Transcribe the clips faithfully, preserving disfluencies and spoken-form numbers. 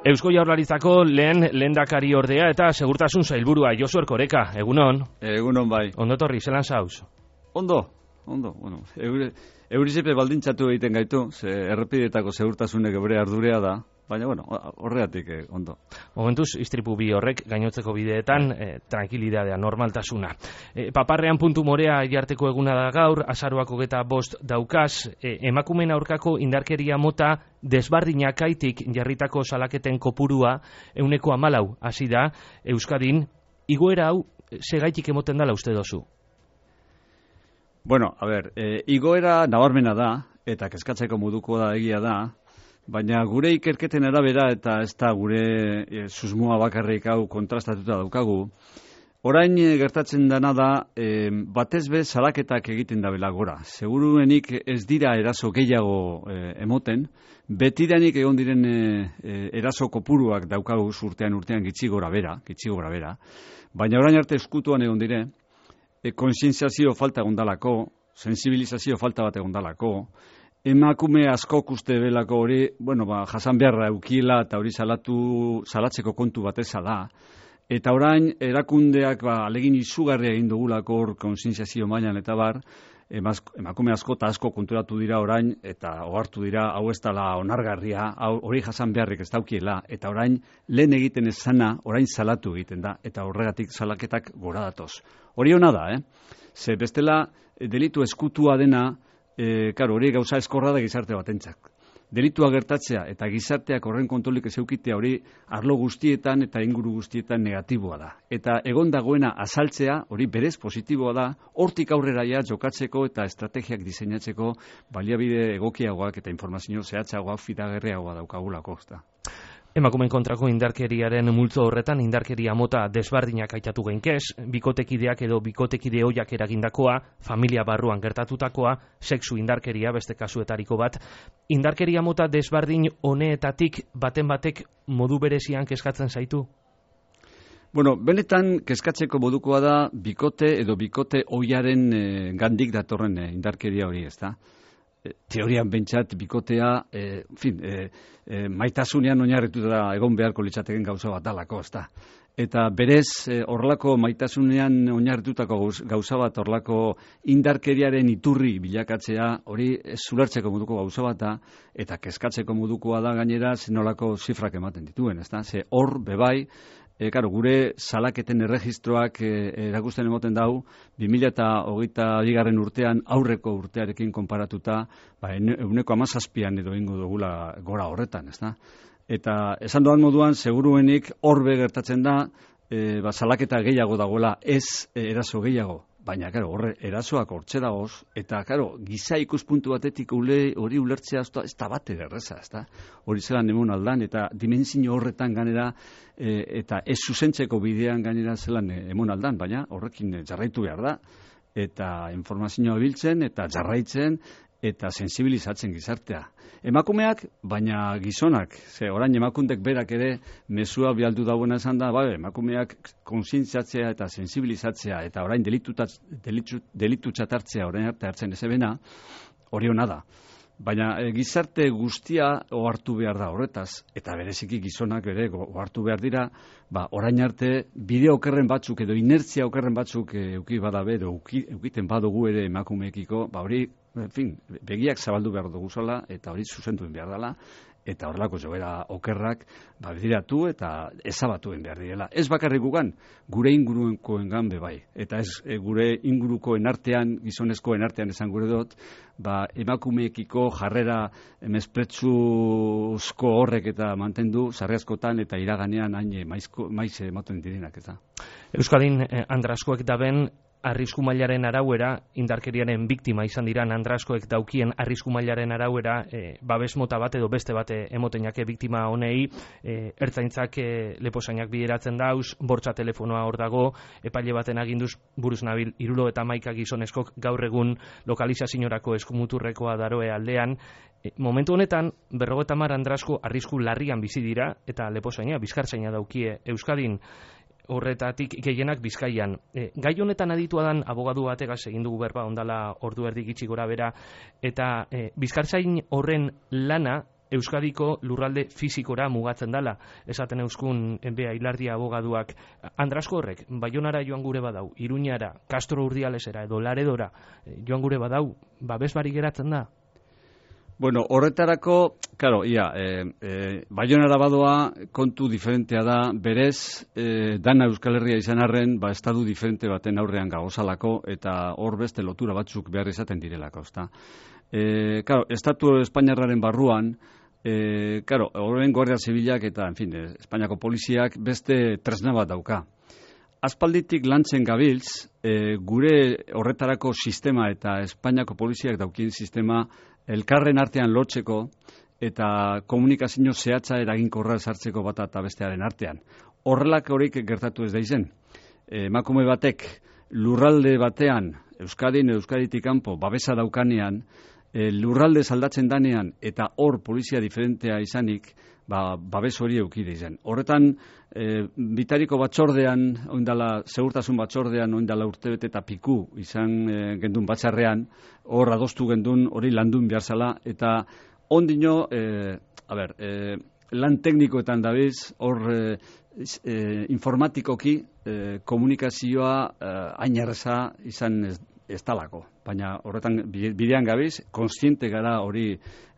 Eusko Jaurlaritzako lehen lehendakari ordea eta segurtasun sailburua Josu Erkoreka, egunon? Egunon bai. Ondo torri, zelan zauz? Ondo, ondo, bueno. Eure, eurizipe baldintzatu egiten gaitu, ze errepideetako segurtasunek bere ardurea da, baina, bueno, horregatik eh, ondo. Momentuz, istripu bi horrek gainotzeko bideetan, eh, tranquilidadea, normaltasuna. Eh, paparrean puntu morea jarteko eguna da gaur, azaroako geta bost daukaz, eh, emakumen aurkako indarkeria mota desbardinakaitik jarritako salaketen kopurua euneko hamalau hasi da Euskadin, igoera hau segaitik emoten dala uste dozu? Bueno, a ber, eh, igoera nabarmena da, eta kezkatzeko moduko da egia da, baina gure ikerketen arabera eta ez da gure e, susmoa bakarrik hau kontrastatuta daukagu. Orain e, gertatzen dena da, e, batez be salaketak egiten dabela gora. Seguruenik ez dira eraso gehiago e, emoten, betidanik egon diren e, e, eraso kopuruak daukagu urtean urtean gitxi gora bera, gitxi gora bera. Baina orain arte eskutuan egon dire, e, konsientziazio falta egondalako, sensibilizazio falta bat egondalako, emakume askok uste belako hori, bueno, ba, jasan beharra eukila eta hori salatu, salatzeko kontu bateza da. Eta orain, erakundeak ba, alegin izugarria egin dugulako hor konsientziazio mailan eta bar, emaz, emakume asko eta asko konturatu dira orain, eta ohartu dira, hau ez dela onargarria, hau, hori jasan beharrik ez daukiela, eta orain, lehen egiten ez zana, orain salatu egiten da, eta horregatik salaketak gora datoz. Hori hona da, eh? Ze bestela, delitu eskutua dena, E, karo, hori gauza eskorra da gizarte batentzak. Delitua gertatzea eta gizarteak horren kontrolik ez eukitea hori arlo guztietan eta inguru guztietan negatiboa da. Eta egon dagoena azaltzea hori berez positiboa da, hortik aurrera ja jokatzeko eta estrategiak diseinatzeko baliabide egokiagoak eta informazio zehatzagoak fidagarriagoa daukagulako. Emakumeen kontrako indarkeriaren multzo horretan indarkeria mota desbardinak aitatu geinkez, bikotekideak edo bikotekide hoiak eragindakoa, familia barruan gertatutakoa, sexu indarkeria beste kasuetariko bat. Indarkeria mota desbardin honeetatik baten batek modu berezian kezkatzen zaitu? Bueno, benetan kezkatzeko modukoa da bikote edo bikote hoiaren e, gandik datorren e, indarkeria hori, ez da? Teorian bentsat bikotea, e, fin, e, e, maitasunean oinarrituta egon beharko litzateken gauza bat dalako, ezta. Eta berez, horlako maitasunean oinarritutako gauza bat, horlako indarkeriaren iturri bilakatzea, hori zulertzeko moduko gauza bat da, eta kezkatzeko modukoa da gainera zenolako zifrak ematen dituen, ezta. Ze hor, bebai, E, karo, gure salaketen erregistroak e, erakusten emoten dau, bi mila hogeita bigarren urtean aurreko urtearekin konparatuta, ba, euneko hamazazpian edo ingo dugula gora horretan, ez da? Eta esan doan moduan, seguruenik horbe gertatzen da, e, ba, salaketa gehiago dagoela, ez e, eraso gehiago. Baina, karo, horre, erasoak hortxe dagoz, eta, karo, giza ikuspuntu batetik ule, hori ulertzea ez da bate erreza, ez da? Hori zelan emon aldan, eta dimensio horretan ganera, e, eta ez zuzentzeko bidean ganera zelan emon aldan, baina horrekin jarraitu behar da, eta informazioa biltzen, eta jarraitzen, eta sensibilizatzen gizartea. Emakumeak, baina gizonak, ze orain emakundek berak ere mezua bialdu dagoena esan da, bai, emakumeak kontzientziatzea eta sensibilizatzea eta orain delitu txatartzea orain arte hartzen ezebena, hori hona da. Baina e, gizarte guztia ohartu behar da horretaz, eta bereziki gizonak ere ohartu behar dira, ba, orain arte bide okerren batzuk edo inertzia okerren batzuk e, euki badabe edo eukiten badugu ere emakumeekiko, ba hori, en fin, begiak zabaldu behar dugu zala, eta hori zuzentuen behar dela, eta horrelako joera okerrak ba, bidiratu eta ezabatuen behar direla. Ez bakarrik gugan, gure ingurukoengan bebai, eta ez e, gure ingurukoen artean, gizonezkoen artean esan gure dut, ba, emakumeekiko jarrera mespretsuzko horrek eta mantendu, sarri askotan eta iraganean hain maizko, maiz ematen direnak eta. Euskadin eh, andraskoek daben arrisku mailaren arauera, indarkeriaren biktima izan diran andraskoek daukien arrisku mailaren arauera, e, babes mota bat edo beste bate emotenake biktima honei, e, ertzaintzak e, leposainak bideratzen dauz, bortza telefonoa hor dago, epaile baten aginduz buruz nabil, irulo eta maika gizoneskok gaur egun lokalizaziorako eskumuturrekoa daroe aldean. E, momentu honetan, berrogeta mar andrasko arrisku larrian bizi dira, eta leposaina, bizkartzaina daukie Euskadin, horretatik gehienak Bizkaian. E, gai honetan aditua dan abogadu bategaz egin dugu berba ondala ordu erdi gitxi gora bera, eta e, bizkartzain horren lana Euskadiko lurralde fizikora mugatzen dala, esaten euskun enbea Ilardia abogaduak. Andrasko horrek, Baionara joan gure badau, Iruñara, Castro Urdialesera edo Laredora joan gure badau, babes bari geratzen da? Bueno, horretarako, claro, ia, e, e, Baionara badoa kontu diferentea da, berez, e, dana Euskal Herria izan arren, ba, estadu diferente baten aurrean gagozalako, eta hor beste lotura batzuk behar izaten direlako, ezta. E, claro, estatu Espainiarraren barruan, e, claro, horren Guardia Zibilak eta, en fin, Espainiako poliziak beste tresna bat dauka. Aspalditik lantzen gabiltz, e, gure horretarako sistema eta Espainiako poliziak daukien sistema elkarren artean lotzeko eta komunikazio zehatza eraginkorra sartzeko bata eta bestearen artean. Horrelak horik gertatu ez da izen. Emakume batek lurralde batean, Euskadin, Euskaditik kanpo, babesa daukanean, e, lurralde saldatzen danean eta hor polizia diferentea izanik, ba, babes hori eukide izen. Horretan, e, bitariko batzordean, oindala, segurtasun batzordean, oindala urtebete eta piku izan e, gendun batzarrean, hor adostu gendun, hori landun behar zala, eta ondino, e, a ber, e, lan teknikoetan dabiz, hor e, e, informatikoki e, komunikazioa e, ainerreza izan ez, ez talako. Baina horretan bidean gabiz, konstiente gara hori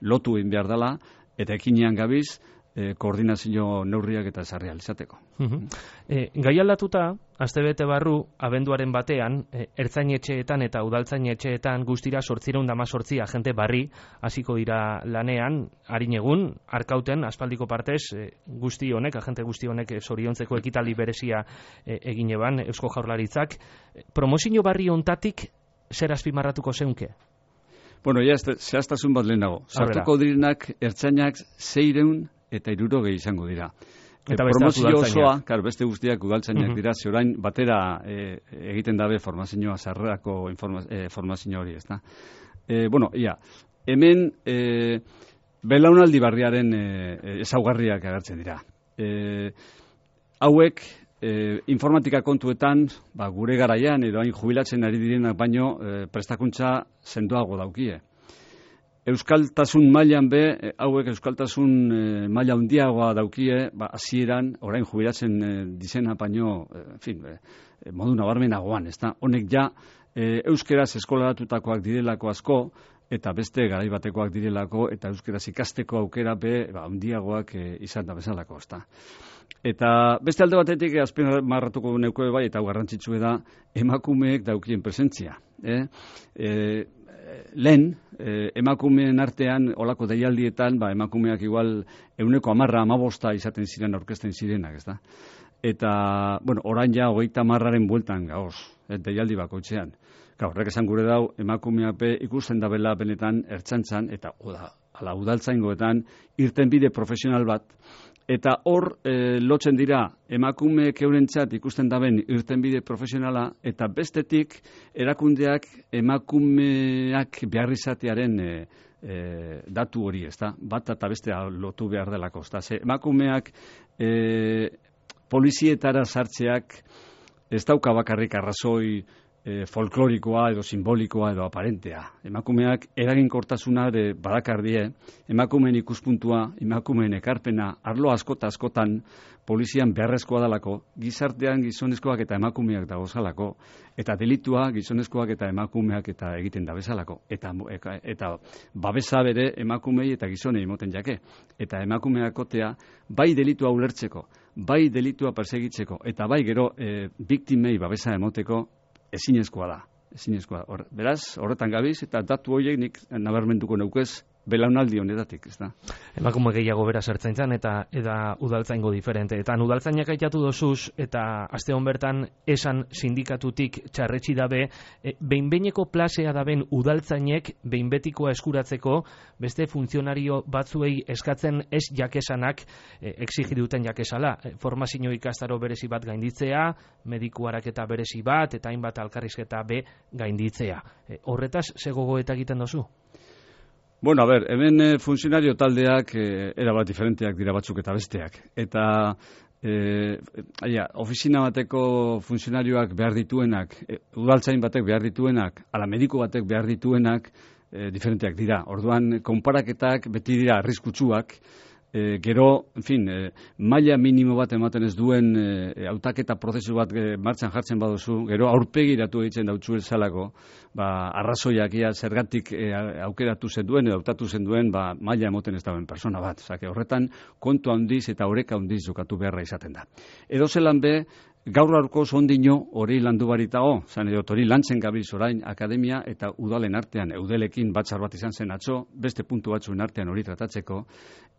lotu egin behar dela, eta ekinean gabiz, E, koordinazio neurriak eta ezarri alizateko. Uh-huh. E, gai aldatuta, astebete barru, abenduaren batean, e, ertzainetxeetan eta udaltzainetxeetan guztira sortzireun dama sortzi agente barri hasiko dira lanean, harin egun, arkauten, aspaldiko partez, e, guzti honek, agente guzti honek e, zoriontzeko ekitaldi berezia e, egin eban, Eusko Jaurlaritzak. E, promozio barri ontatik, zer azpimarratuko zeunke? Bueno, ja, zehaztasun bat lehenago. Sartuko direnak ertzainak zeireun eta hirurogei izango dira. Eta e, promozio osoa, kar, beste guztiak udaltzainak uh-huh. dira, ze orain batera e, egiten dabe formazioa, sarrerako e, formazio hori, ezta. E, bueno, ia, hemen e, belaunaldi barriaren e, ezaugarriak agertzen dira. E, hauek, e, informatika kontuetan, ba, gure garaian, edo hain jubilatzen ari direnak baino, e, prestakuntza sendoago daukie. Euskaltasun mailan be, hauek euskaltasun e, maila handiagoa daukie, ba, hasieran orain jubilatzen e, dizena baino, e, en fin, e, modu nabarmenagoan, ezta? Honek ja e, euskeraz eskolatutakoak direlako asko eta beste garai batekoak direlako eta euskeraz ikasteko aukera be, ba, handiagoak e, izan da bezalako, ezta? Eta beste alde batetik azpimarratuko neuke bai eta garrantzitsua da emakumeek daukien presentzia, eh? E, lehen, eh, emakumeen artean, olako deialdietan, ba, emakumeak igual euneko amarra amabosta izaten ziren aurkezten zirenak, ez da? Eta, bueno, orain ja, hogeita amarraren bueltan gauz, eh, deialdi bakoitzean. Ka, horrek esan gure dau, emakumeape ikusten da bela benetan ertzaintzan, eta oda, ala udaltzaingoetan, irtenbide profesional bat, eta hor e, lotzen dira emakumeek eurentzat ikusten daben irtenbide profesionala eta bestetik erakundeak emakumeak behar izatearen e, e, datu hori, ezta? Bat eta bestea lotu behar delako, ezta? Ze emakumeak e, polizietara sartzeak ez dauka bakarrik arrazoi E, folklorikoa edo simbolikoa edo aparentea. Emakumeak eraginkortasuna ere badakardie, emakumeen ikuspuntua, emakumeen ekarpena, arlo askota askotan polizian beharrezkoa dalako, gizartean gizonezkoak eta emakumeak dagozalako, eta delitua gizonezkoak eta emakumeak eta egiten da bezalako. Eta, eta babesa bere emakumei eta gizonei moten jake. Eta emakumeakotea bai delitua ulertzeko, bai delitua persegitzeko, eta bai gero e, biktimei babesa emoteko, ezinezkoa da, ezinezkoa. Hor, beraz, horretan gabiz, eta datu horiek nik nabarmenduko neukez belaunaldi honetatik, ez da. Emakume gehiago beraz ertzaintzan eta eta udaltzaingo diferente. Eta udaltzainak aitatu dozuz, eta aste hon bertan esan sindikatutik txarretxi dabe, e, behinbeineko plasea daben udaltzainek behinbetikoa eskuratzeko beste funtzionario batzuei eskatzen ez jakesanak e, exigiduten jakesala. E, formazio ikastaro berezi bat gainditzea, mediku haraketa berezi bat, eta hainbat alkarrizketa be gainditzea. E, horretaz, zegogo eta egiten dozu? Bueno, a ver, hemen eh, funtzionario taldeak eh, erabat diferenteak dira batzuk eta besteak. Eta eh, aia, ofizina bateko funtzionarioak behar dituenak, eh, udaltzain batek behar dituenak, ala mediku batek behar dituenak, e, diferenteak dira. Orduan, konparaketak beti dira arriskutsuak, E, gero, en fin, e, maila minimo bat ematen ez duen e, hautaketa prozesu bat e, martxan jartzen baduzu, gero aurpegiratu egiten dautzu ezalako, ba, arrazoiak ia zergatik e, aukeratu zen duen, edo hautatu zen duen, ba, maila emoten ez dauen persona bat. Osake, horretan kontu handiz eta oreka handiz jokatu beharra izaten da. Edo zelan be, gaur aurko ondino hori landu baritago, zan edo hori lantzen gabiz orain akademia eta udalen artean, eudelekin batzar bat izan zen atzo, beste puntu batzuen artean hori tratatzeko,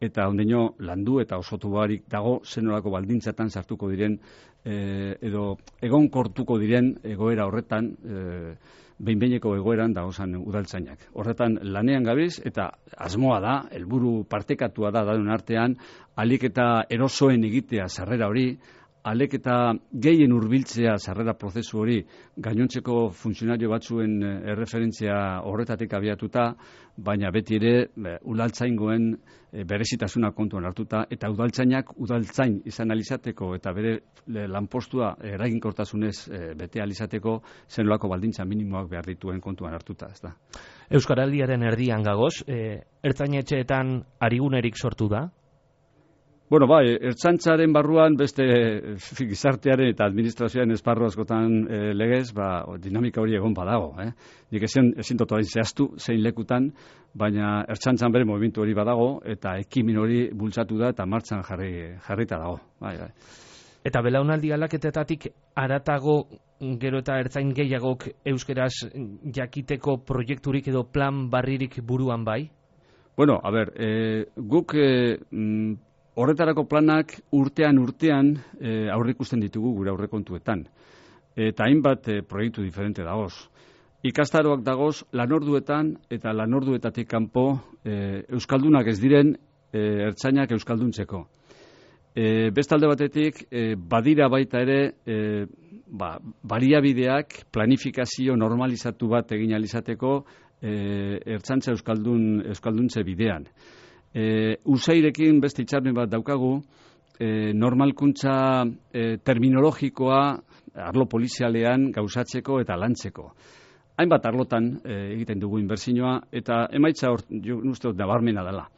eta ondino landu eta osotu barik dago zenolako baldintzatan sartuko diren, e, edo egonkortuko diren egoera horretan, e, behin-behineko egoeran dagozan udaltzainak. Horretan lanean gabiz eta asmoa da, helburu partekatua da dauden artean, alik eta erosoen egitea sarrera hori, alek eta gehien hurbiltzea sarrera prozesu hori gainontzeko funtzionario batzuen erreferentzia horretatik abiatuta, baina beti ere udaltzaingoen berezitasuna kontuan hartuta eta udaltzainak udaltzain izan alizateko eta bere lanpostua eraginkortasunez bete alizateko zenolako baldintza minimoak behar dituen kontuan hartuta, ez da. Euskaraldiaren erdian gagoz, e, ertzainetxeetan arigunerik sortu da? Bueno, bai, ertzaintzaren barruan beste gizartearen eta administrazioaren esparru askotan e, legez, ba, dinamika hori egon badago. Eh? Nik ezin, ezin dut orain zehaztu zein lekutan, baina ertzaintzan bere movimentu hori badago eta ekimen hori bultzatu da eta martxan jarri, jarrita dago. Bai, bai. Eta belaunaldi aldaketetatik haratago gero eta ertzain gehiagok euskeraz jakiteko proiekturik edo plan barririk buruan bai? Bueno, a ber, e, guk... E, mm, horretarako planak urtean urtean e, aurrikusten ditugu gure aurrekontuetan. Eta hainbat e, proiektu diferente dagoz. Ikastaroak dagoz lanorduetan eta lanorduetatik kanpo e, euskaldunak ez diren e, ertzainak euskalduntzeko. E, bestalde batetik e, badira baita ere e, ba, baliabideak planifikazio normalizatu bat egin alizateko e, ertzaintza euskaldun euskalduntze bidean. E, usairekin beste hitzarmen bat daukagu, e, normalkuntza e, terminologikoa arlo polizialean gauzatzeko eta lantzeko. Hainbat arlotan e, egiten dugu inbertsioa eta emaitza hor, jo uste dut nabarmena dela.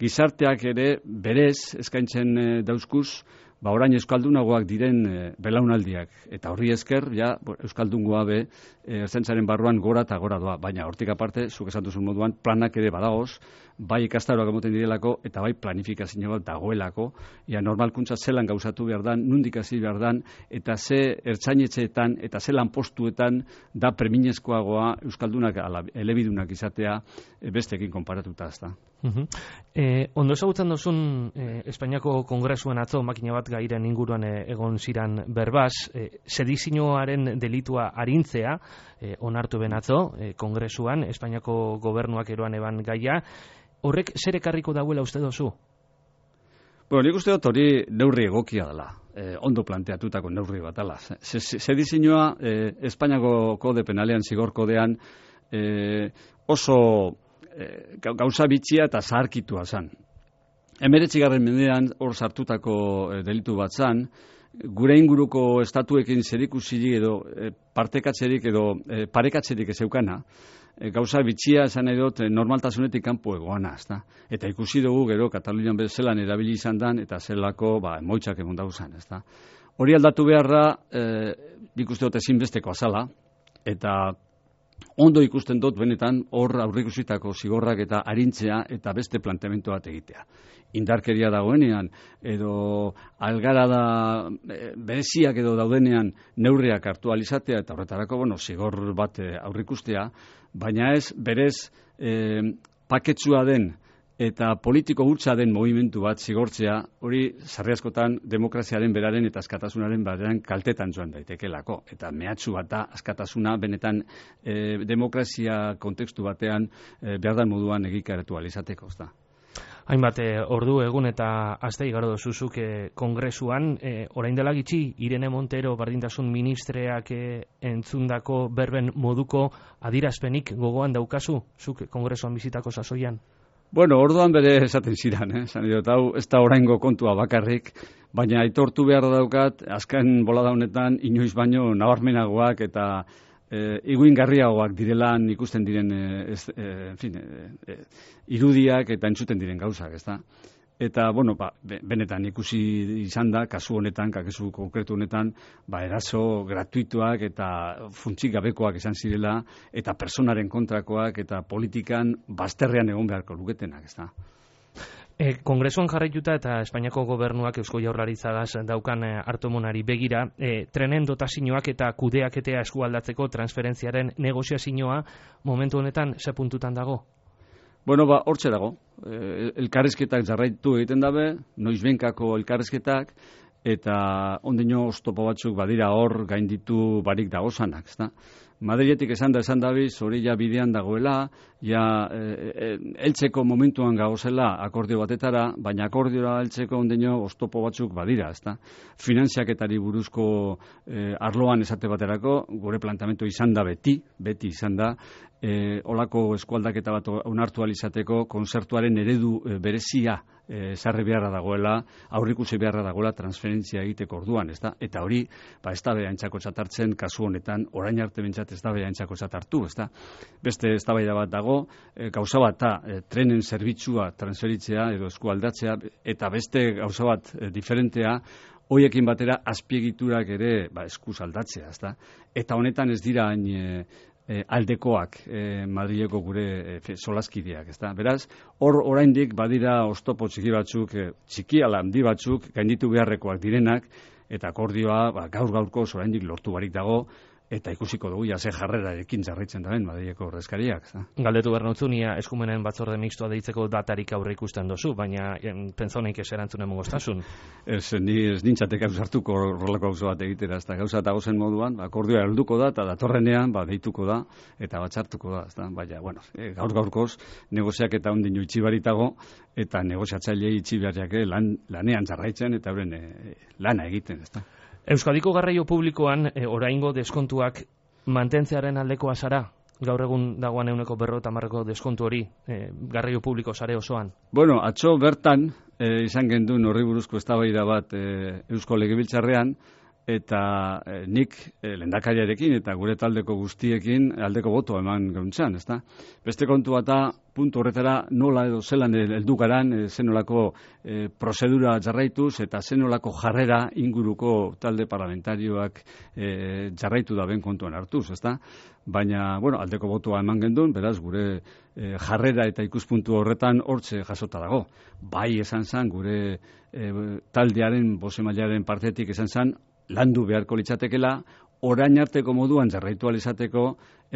Gizarteak ere berez eskaintzen e, dauzkuz, ba orain euskaldunagoak diren e, belaunaldiak eta horri esker ja euskaldungoa be e, ertzaintzaren barruan gora eta gora doa, baina hortik aparte zuk esan duzun moduan planak ere badagoz, bai ikastaroak emoten direlako eta bai planifikazio bat dagoelako, ja normalkuntza zelan gauzatu behar dan, nundik hasi behar dan eta ze ertzainetxeetan eta ze lanpostuetan da preminezkoagoa euskaldunak ala elebidunak izatea e, besteekin konparatuta, ezta. Uh-huh. Eh, ondo ezagutzen duzun eh, Espainiako Kongresuan atzo makina bat gairen inguruan eh, egon ziran berbaz, eh, sedizioaren delitua arintzea eh, onartu ben atzo eh, Kongresuan, Espainiako gobernuak eroan eban gaia. Horrek zer ekarriko dauela uste dozu? Bueno, nik uste dut hori neurri egokia dela, eh, ondo planteatutako neurri bat dela. Sedizioa eh, Espainiako kode penalean, zigor kodean eh, oso E, gauza bitxia eta zaharkitua zan. Hemeretzigarren mendean hor sartutako e, delitu bat zan, gure inguruko estatuekin zerikusirik edo e, partekatzerik edo e, parekatzerik ez eukana, e, gauza bitxia esan nahi dut e, normaltasunetik kanpo egoana, ezta? Eta ikusi dugu gero Katalunian bezelan erabili izan dan eta zelako ba, emoitzak egon dauzan, ezta? Hori aldatu beharra e, nik uste dut ezinbesteko azala, eta ondo ikusten dut benetan hor aurreikusitako zigorrak eta arintzea eta beste planteamendu bat egitea. Indarkeria dagoenean edo algarada bereziak edo daudenean neurriak hartu alizatea eta horretarako bueno, zigor bat aurreikustea, baina ez berez eh, paketsua den eta politiko hutsa den movimentu bat zigortzea, hori sarri askotan demokraziaren beraren eta askatasunaren beraren kaltetan joan daitekelako. Eta mehatxu bat da askatasuna benetan e, demokrazia kontekstu batean e, behar da moduan egikaratu alizateko. Hainbat ordu egun eta aste igaro dozuzuk e, kongresuan, e, orain dela gitxi, Irene Montero bardintasun ministreak e, entzundako berben moduko adirazpenik gogoan daukazu, zuk kongresuan bizitako sasoian? Bueno, orduan bere esaten ziren, eh? Zan dut, hau ez da oraingo kontua bakarrik, baina aitortu behar daukat, azken bolada honetan, inoiz baino nabarmenagoak eta e, iguingarriagoak direlan ikusten diren e, ez, e, en fin, e, e, irudiak eta entzuten diren gauzak, ezta? Eta, bueno, ba, benetan ikusi izan da, kasu honetan, kasu konkretu honetan, ba, eraso gratuituak eta funtsik gabekoak izan zirela, eta personaren kontrakoak eta politikan bazterrean egon beharko luketenak, ezta? E, Kongresuan jarraituta eta Espainiako gobernuak Eusko Jaurlaritzagaz daukan e, hartomonari begira, e, trenen dotazioak eta kudeaketea eskualdatzeko transferentziaren negoziazioa momentu honetan ze puntutan dago? Bueno, ba, hortxe dago. E, elkarrizketak jarraitu egiten dabe, noizbenkako elkarrizketak, eta ondino oztopo batzuk badira hor gainditu barik dagozanak, ezta? Madriletik esan da esan dabiz, hori ja bidean dagoela, ja e, e, eltzeko momentuan gagozela akordio batetara, baina akordiora eltzeko ondino oztopo batzuk badira, ezta? Finanziaketari buruzko e, arloan esate baterako, gure plantamentu izan da beti, beti izan da, e, olako eskualdaketa bat onartu alizateko konzertuaren eredu e, berezia e, sarri beharra dagoela, aurrikusi beharra dagoela transferentzia egiteko orduan, ezta? Eta hori, ba, ez da behaintzako txatartzen kasu honetan, orain arte bentsat ez da behaintzako txatartu, ezta? Beste eztabaida bat dago, e, gauza bat da, e, trenen zerbitzua transferitzea edo eskualdatzea, eta beste gauza bat e, diferentea, hoiekin batera azpiegiturak ere ba, eskuz aldatzea, ezta? Eta honetan ez dira hain e, e, aldekoak e, Madrileko gure e, solaskideak, ezta? Beraz, hor oraindik badira oztopo txiki batzuk, e, txiki ala handi batzuk, gainditu beharrekoak direnak, eta akordioa ba, gaur-gaurko oraindik lortu barik dago, eta ikusiko dugu ja ze jarrerarekin jarraitzen daben Madrileko ordezkariak. Galdetu behar notzunia eskumenen batzorde mixtoa deitzeko datarik aurre ikusten dozu, baina pentsoneik ez erantzun emogoztasun. Ez, ni ez nintzatek hartuko horrelako gauza bat egitera, ez da gauza eta gozen moduan, akordioa helduko da, eta datorrenean ba, deituko da, eta batzartuko da, ez da, baina, bueno, e, gaur gaurkoz, negoziak eta ondino itxibaritago, eta negoziatzailei itxibarriake lan, lanean jarraitzen, eta horren e, lana egiten, ez da. Euskadiko garraio publikoan e, oraingo deskontuak mantentzearen aldekoa zara? Gaur egun dagoan euneko berro eta marreko deskontu hori e, garraio publiko sare osoan? Bueno, atzo bertan e, izan gendun horri buruzko eztabaida bat e, Eusko Legebiltzarrean, eta e, nik e, lehendakariarekin eta gure taldeko guztiekin aldeko boto eman gauntzan, ezta? Beste kontu bata puntu horretara nola edo zelan heldu garan, e, zenolako e, prozedura jarraituz eta zenolako jarrera inguruko talde parlamentarioak e, jarraitu da ben kontuan hartuz, ezta? Baina, bueno, aldeko botoa eman gendun, beraz, gure e, jarrera eta ikuspuntu horretan hortze jasota dago. Bai esan zan, gure e, taldearen, bozemailaren partetik esan zan, landu beharko litzatekela, orain arteko moduan jarraitu alizateko,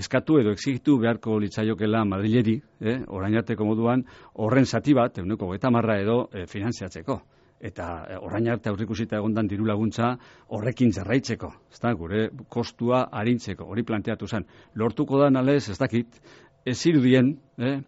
eskatu edo exigitu beharko litzaiokela Madrileri, eh, orain arteko moduan, horren zati bat, euneko hogeita hamar edo e, finantziatzeko. Eta e, orain arte aurreikusita egondan diru laguntza horrekin jarraitzeko, ezta, gure kostua arintzeko, hori planteatu zen. Lortuko da nalez, ez dakit, ez irudien, eh,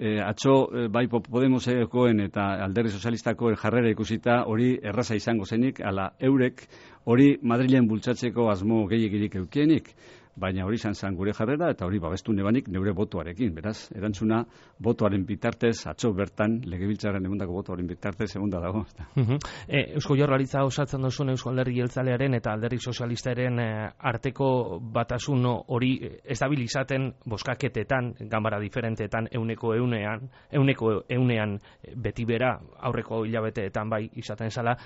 E, atzo e, bai Podemosekoen eta Alderdi Sozialistako jarrera ikusita hori erraza izango zenik, ala eurek hori Madrilen bultzatzeko asmo gehiegirik eukienik, baina hori izan zen gure jarrera eta hori babestu nebanik neure botoarekin, beraz, erantzuna botoaren bitartez, atzo bertan, Legebiltzarren egundako botoaren bitartez egunda dago. Uh-huh. e, Eusko Jaurlaritza osatzen duzun Eusko Alderdi Jeltzalearen eta Alderdi Sozialistaren e, arteko batasun hori estabilizaten boskaketetan, ganbara diferenteetan, euneko eunean, euneko eunean beti bera, aurreko hilabeteetan bai izaten zala,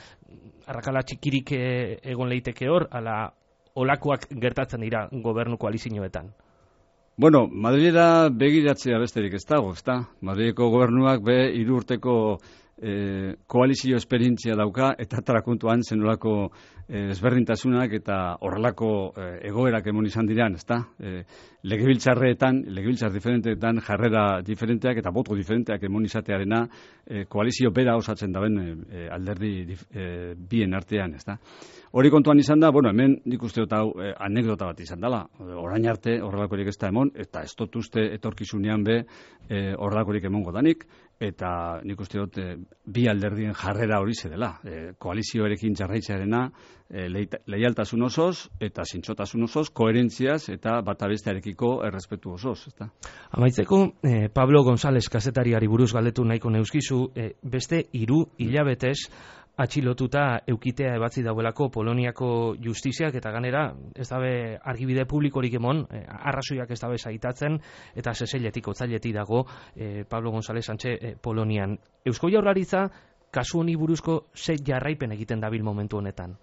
arrakala txikirik e, egon leiteke hor, ala olakoak gertatzen dira gobernu koalizioetan? Bueno, Madrilera begiratzea besterik ez dago, ezta? Madrileko gobernuak be hiru urteko e, koalizio esperientzia dauka, eta tarakuntuan zenolako e, ezberdintasunak eta horrelako e, egoerak emon izan diran, ezta? E, legebiltzarreetan, legebiltzar diferenteetan jarrera diferenteak eta boto diferenteak emon izatearena e, koalizio bera osatzen daben e, alderdi e, bien artean, ezta? Hori kontuan izan da, bueno, hemen nik uste dut hau eh, anekdota bat izan dela. Orain arte horrelakorik ez da emon, eta ez dut uste etorkizunean be eh, horrelakorik emongo danik, eta nik uste dut eh, bi alderdien jarrera hori zedela. Eh, koalizioarekin jarraitzearena eh, leialtasun osoz eta zintzotasun osoz, koherentziaz eta bata bestearekiko errespetu osoz. Ezta? Amaitzeko, eh, Pablo González kazetariari buruz galdetu nahiko neuskizu, eh, beste hiru hilabetez, atxilotuta eukitea ebatzi dauelako Poloniako justiziak, eta ganera ez dabe argibide publikorik emon, eh, arrazoiak ez dabe zaitatzen, eta seseiletik, otzailetik dago eh, Pablo González Sánchez eh, Polonian. Eusko Jaurlaritza kasu honi buruzko ze jarraipen egiten dabil momentu honetan?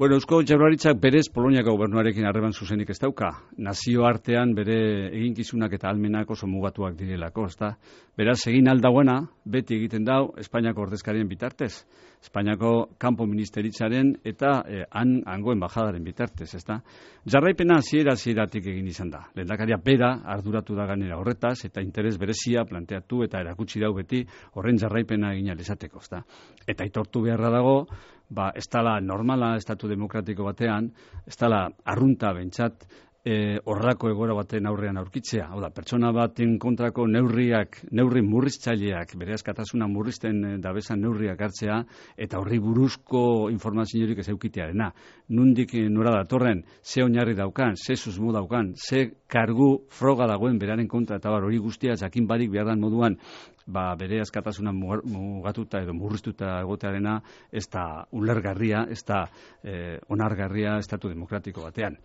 Bueno, Eusko Jaurlaritzak berez Poloniako gobernuarekin harreman zuzenik ez dauka. Nazio artean bere eginkizunak eta almenak oso mugatuak direlako, ezta? Beraz, egin aldagoena, beti egiten dau Espainiako ordezkarien bitartez. Espainiako kanpo ministeritzaren eta eh, han hango embajadaren bitartez, ezta? Jarraipena hasiera hasieratik egin izan da. Lehendakaria bera arduratu da ganera horretaz eta interes berezia planteatu eta erakutsi dau beti horren jarraipena egin ahal izateko, ezta? Eta aitortu beharra dago, ba, ez dala normala estatu demokratiko batean, ez dala arrunta bentsat e, horrako egoera baten aurrean aurkitzea. Hau da, pertsona baten kontrako neurriak, neurri murriztzaileak, bere askatasuna murrizten e, dabezan neurriak hartzea, eta horri buruzko informaziorik ez eukitearena. Nundik e, nora datorren, ze oinarri daukan, ze susmo daukan, ze kargu froga dagoen beraren kontra, eta bar, hori guztia jakin barik behar dan moduan, ba, bere askatasuna mugatuta edo murriztuta egotearena ez da ulergarria, ez da eh, onargarria estatu demokratiko batean.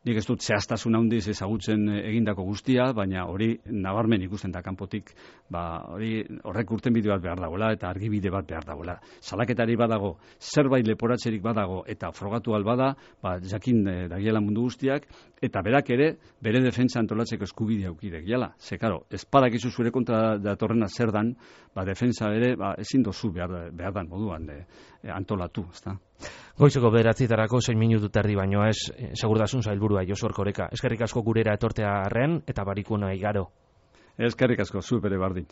Nik ez dut zehaztasun handiz ezagutzen egindako guztia, baina hori nabarmen ikusten da kanpotik, ba, hori horrek urtenbide bat behar dagoela eta argibide bat behar dagoela. Salaketari badago, zerbait leporatzerik badago eta frogatu albada, ba, jakin e, dagiela mundu guztiak, eta berak ere bere defentsa antolatzeko eskubidea aukidek jala. Ze, karo, ez badakizu zure kontra datorrena zer dan, ba, defensa ere ba, ezin dozu behar, behar dan moduan de, e, antolatu, ezta? Goizeko bederatzitarako zein minutu terdi baino ez, eh, segurtasun sailburua Josu Erkoreka. Eskerrik asko gurera etortea arren eta barikuna igaro. Eskerrik asko, zu bere bardin.